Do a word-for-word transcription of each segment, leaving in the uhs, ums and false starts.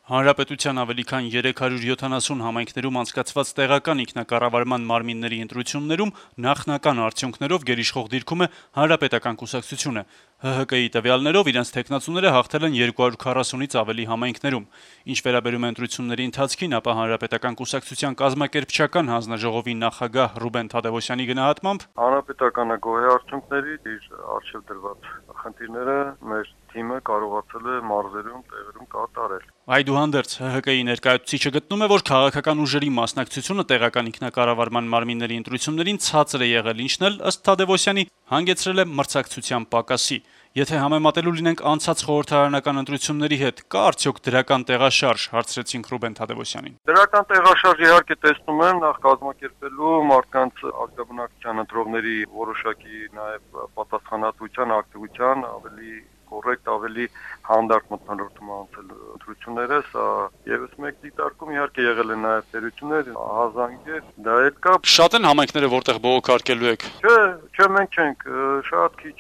Հանրապետության ավելի քան երեք հարյուր յոթանասուն համայնքներում անցկացված տեղական ինքնակառավարման մարմինների ընտրություններում նախնական արդյունքներով գերիշխող դիրքում է Հանրապետական կուսակցությունը։ Հ Հ Կ-ի տվյալներով իրենց թեկնածուները հաղթել են երկու հարյուր քառասունից ավելի համայնքներում։ Ինչ վերաբերում է ընտրությունների ընթացքին, ապա Հանրապետական կուսակցության կազմակերպչական հանձնաժողովի նախագահ Ռուբեն Թադևոսյանի գնահատմամբ Հանրապետականը գոհ է արդյունքներից, իր առջև դրված խնդիրները մեր թիմը կարողացել է մարզերում, տեղերում կատարել։ Այդուհանդերձ Հ Հ Կ-ի ներկայացուցիչը գտնում է, որ քաղաքական ուժերի մասնակցությունը տեղական ինքնակառավարման մարմինների ընտրություններին ցածր է եղել, ինչն էլ, ըստ Թադևոսյանի, հանգեցրել է մրցակցության պակասի։ Եթե համեմատելու լինենք անցած խորհրդարանական ընտրությունների հետ, կա արդյոք դրական տեղաշարժ, հարցրեցինք Ռուբեն Թադևոսյանին։ Դրական տեղաշարժ իհարկե տեսնում եմ, նախ կազմակերպելու մարդկանց ազգաբնակչության ընտրողների որոշակի նաև պատասխանատվության, ակտիվության ավելի կոռեկտ, ավելի հանդարտ մթնոլորտում անցել ընտրությունները, սա եւս մեկ դիտարկում իհարկե եղել են նաև տերություններ, հազանգեր, դա էլ կա։ Շատ են համայնքները, որտեղ բողոքարկելու եք։ Չէ, չէ, մենք չենք, շատ քիչ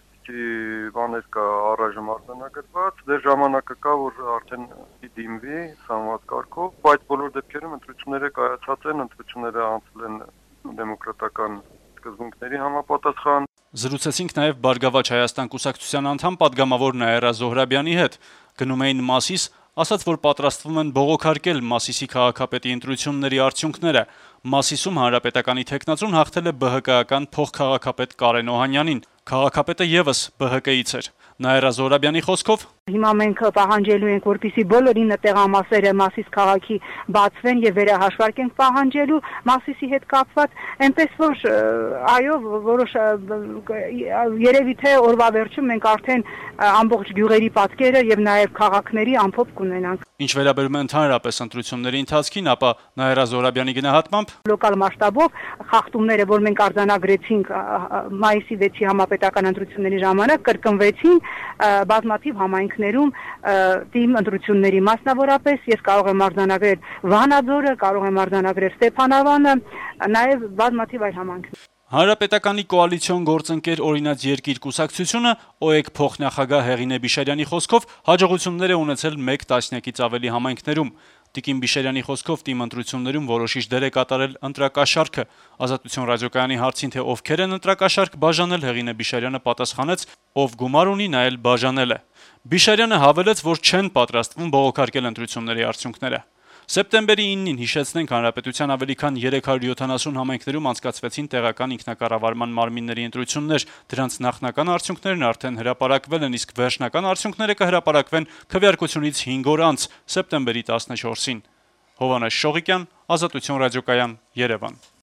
այդպիսի բաներ կա առայժմ արձանագրված, դեռ ժամանակը կա, որ արդեն դիմվի սանված կարգով, բայց բոլոր դեպքերում ընտրությունները կայացած են, ընտրությունները անցել են դեմոկրատական սկզբունքների համապատասխան։ Զրուցեցինք նաև Բարգավաճ Հայաստան կուսակցության անդամ պատգամավոր Նաիրա Զոհրաբյանի հետ։ Գնում էին Մասիս, ասաց, որ պատրաստվում են բողոքարկել Մասիսի քաղաքապետի ընտրությունների արդյունքները։ Մասիսում Հանրապետականի թեկնածուն հաղթել է Բ Հ Կ-ական փոխքաղաքապետ Կարեն Օհանյանին։ Քաղաքապետը եւս Բ Հ Կ-ից էր։ Նաիրա Զոհրաբյանի խոսքով հիմա մենք պահանջելու ենք, որպեսզի բոլոր ինը տեղամասերը Մասիս քաղաքի բացվեն եւ վերահաշվարկենք պահանջելու Մասիսի հետ կապված, այնպես որ այո, որոշ երևի թե օրվա վերջում մենք արդեն ամբողջ գյուղերի պատկերը եւ նաեւ քաղաքների ամփոփ կունենանք։ Ինչ վերաբերում է ընդհանրապես ընտրությունների ընթացքին, ապա Նաիրա Զոհրաբյանի գնահատմամբ լոկալ մասշտաբով խախտումները, որ մենք արձանագրեցինք մայիսի վեցի համապետական ընտրությունների ժամանակ, կրկնվեցին բազմաթիվ համայնքներում թիմ ընտրությունների, մասնավորապես ես կարող եմ արձանագրել Վանաձորը, կարող եմ արձանագրել Ստեփանավանը, նաև բազմաթիվ այլ համայնքներ։ Հանրապետականի կոալիցիոն գործընկեր Օրինաց երկիր կուսակցությունը Օ Է Կ փոխնախագահ Հեղինե Բիշարյանի խոսքով հաջողություններ է ունեցել մեկ տասնյակից ավելի համայնքներում։ Տիկին Բիշարյանի խոսքով թիմ ընտրություններում որոշիչ դեր է կատարել ընտրակաշառքը։ Ազատություն ռադիոկայանի հարցին, թե ովքեր են ընտրակաշառք բաժանել, Հեղինե Բիշարյանը պատասխանեց. ով գումար ունի, նա էլ բաժանել է։ Բիշարյանը հավելեց, որ չեն պատրաստվում բողոքարկել ընտրությունների արդյունքները։ Սեպտեմբերի իննին, հիշեցնենք, Հանրապետության ավելի քան երեք հարյուր յոթանասուն համայնքներում անցկացվեցին տեղական ինքնակառավարման մարմինների ընտրություններ։ Դրանց նախնական արդյունքներն արդեն հրապարակվել են, իսկ վերջնական արդյունքները կհրապարակվեն քվեարկությունից հինգ օր անց, սեպտեմբերի տասնչորսին։ Հովհաննես Շողիկյան, Ազատություն ռադիոկայան, Երևան։